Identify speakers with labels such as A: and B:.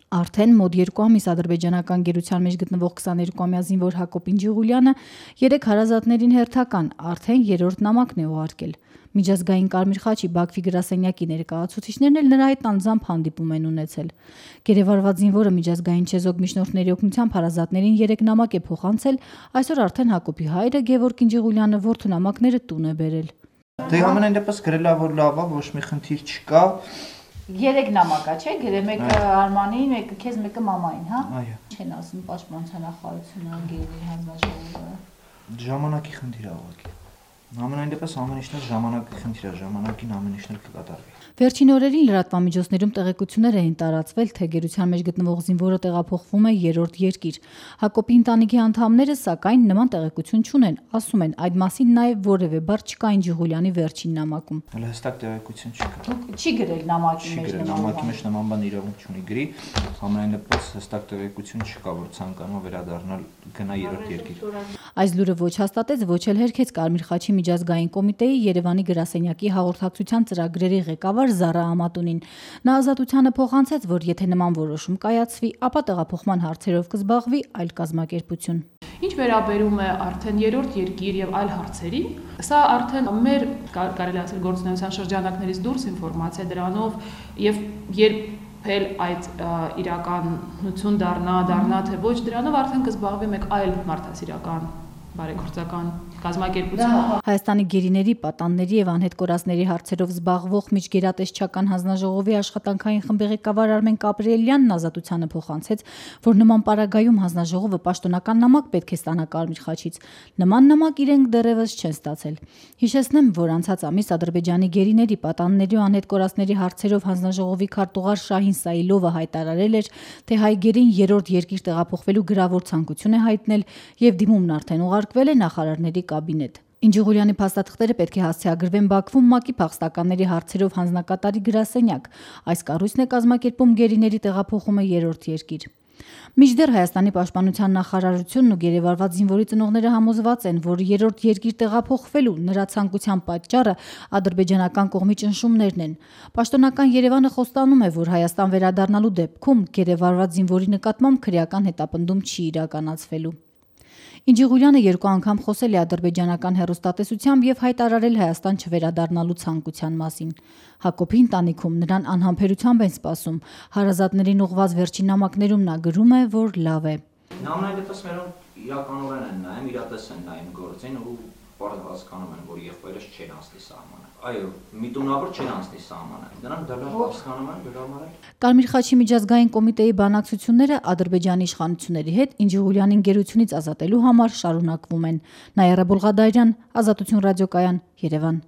A: Արդեն մոտ 2 ամիս ադրբեջանական գերության մեջ գտնվող 22-ամյա զինվոր Հակոբ Ինջիղուլյանը 3 հարազատներին հերթական արդեն 3-րդ նամակն է ուղարկել։ Միջազգային Կարմիր խաչի Բաքվի գրասենյակի ներկայացուցիչներն էլ նրա հետ անձամբ հանդիպում են ունեցել։ Գերեվարված զինվորը միջազգային չեզոք միջնորդների օգնությամբ հարազատներին 3 նամակ է փոխանցել, այսօր արդեն Հակոբի հայրը Գևորգ Ինջիղուլյանը որդու նամակները տուն է բերել։
B: Դե ամենայն դեպս գրել է, որ լավ է, ոչ մի խնդիր չկա։
A: 3 նամակա, չէ՞, գրել մեկը Արմանին, մեկը քեզ, մեկը մամային, հա։
B: Այո։
A: Չեն ասում պաշտպանության նախարարությունը, անգերների հանձնաժողովը։
B: Ժամանակի խնդիր է ուղղակի։ Ամենայն դեպս ամեն ինչն ժամանակի խնդիր է, ժամանակին ամեն ինչն կկատարվի։
A: Վերջին օրերին լրատվամիջոցներում տեղեկություններ էին տարածվել, թե գերության մեջ գտնվող զինվորը տեղափոխվում է 3-րդ երկիր։ Հակոբի ընտանիքի անդամները սակայն նման տեղեկություն չունեն, ասում են այդ մասին նաև որևէ բառ չկա Ինջիղուլյանի վերջին նամակում։
B: Հստակ տեղեկություն չկա։
A: Չի գրել նամակի մեջ
B: նամակի մեջ նման բան իրավունք չունի գրի, ամենայն դեպս հստակ տեղեկություն չկա, որ ցանկանում վերադառնալ գնա 3-րդ երկիր։
A: Այս լուրը ոչ հաստատեց, ոչ էլ հերքեց Կարմիր խաչի միջազգային կոմիտեի Երևանի գրասենյակի հաղորդակցության ծրագրերի ղեկավար Զարա Ամատունին։ Նա ազատությանը փոխանցեց, որ եթե նման որոշում կայացվի, ապա տեղափոխման հարցերով կզբաղվի այլ կազմակերպություն։
C: Ինչ վերաբերում է արդեն 3-րդ երկիր եւ այլ հարցերի, սա արդեն մեր կարելի ասել գործունեության շրջանակներից դուրս ինֆորմացիա դրանով եւ երբ այդ իրականություն դառնա թե ոչ դրանով արդեն կզբաղվի մեկ այլ մարդասիրական բարեգործական կազմակերպություն։
A: Հայաստանի գերիների, պատանների եւ անհետ կորածների հարցերով զբաղվող միջգերատեսչական հանձնաժողովի աշխատանքային խմբի ղեկավար Արմեն Կապրելյանն ազատությանը փոխանցեց, որ նման պարագայում հանձնաժողովը պաշտոնական նամակ պետք է ստանա Կարմիր խաչից։ Նման նամակ իրենք դեռևս չեն ստացել։ Հիշեցնեմ, որ անցած ամիս Ադրբեջանի գերիների, պատանների ու անհետ կորածների հարցերով հանձնաժողովի քարտուղար Շահին Սայիլովը հայտարարել էր, թե հայ գերին 3-րդ երկիր տեղափոխվելու գրավոր ցանկություն է հայտնել եւ դիմումն արդեն ուղարկվել է նախարարների կաբինետ։ Ինջիղուլյանի փաստաթղթերը պետք է հասցեագրվեն Բաքվում ՄԱԿ-ի փախստականների հարցերով հանձնակատարի գրասենյակ։ Այս կառույցն է կազմակերպում գերիների տեղափոխումը 3-րդ երկիր։ Մինչդեռ Հայաստանի պաշտպանության նախարարությունն ու գերեվարված զինվորի ծնողները համոզված են, որ 3-րդ երկիր տեղափոխվելու նրա ցանկության պատճառը ադրբեջանական կողմի ճնշումներն են։ Պաշտոնական Երևանը խոստանում է, որ Հայաստան վերադառնալու դեպքում գերեվարված զինվորի նկատմամբ քրեական հետապնդում չի իրականացվելու։ Ինջիղուլյանը 2 անգամ խոսել է ադրբեջանական հեռուստատեսությամբ եւ հայտարարել Հայաստան չվերադառնալու ցանկության մասին։ Հակոբի ընտանիքում նրան անհամբերությամբ են սպասում։ Հարազատներին ուղված վերջին նամակներում նա գրում է, որ լավ է։
B: Ամենայն դեպս մերոնք իրականորեն են նայում, իրատես են նայում գործին ու բարձր հասկանում են, որ եղբայրս չեն անցնի սահմանը։ Այո, միտումնավոր չեն անցնի սահմանը։ Դրանք դեռ հասկանում են դրամարել։
A: Կարմիր խաչի միջազգային կոմիտեի բանակցությունները Ադրբեջանի իշխանությունների հետ Ինջիղուլյանին գերությունից ազատելու համար շարունակվում են։ Նայարա Բոլղադարյան, Ազատություն ռադիոկայան, Երևան։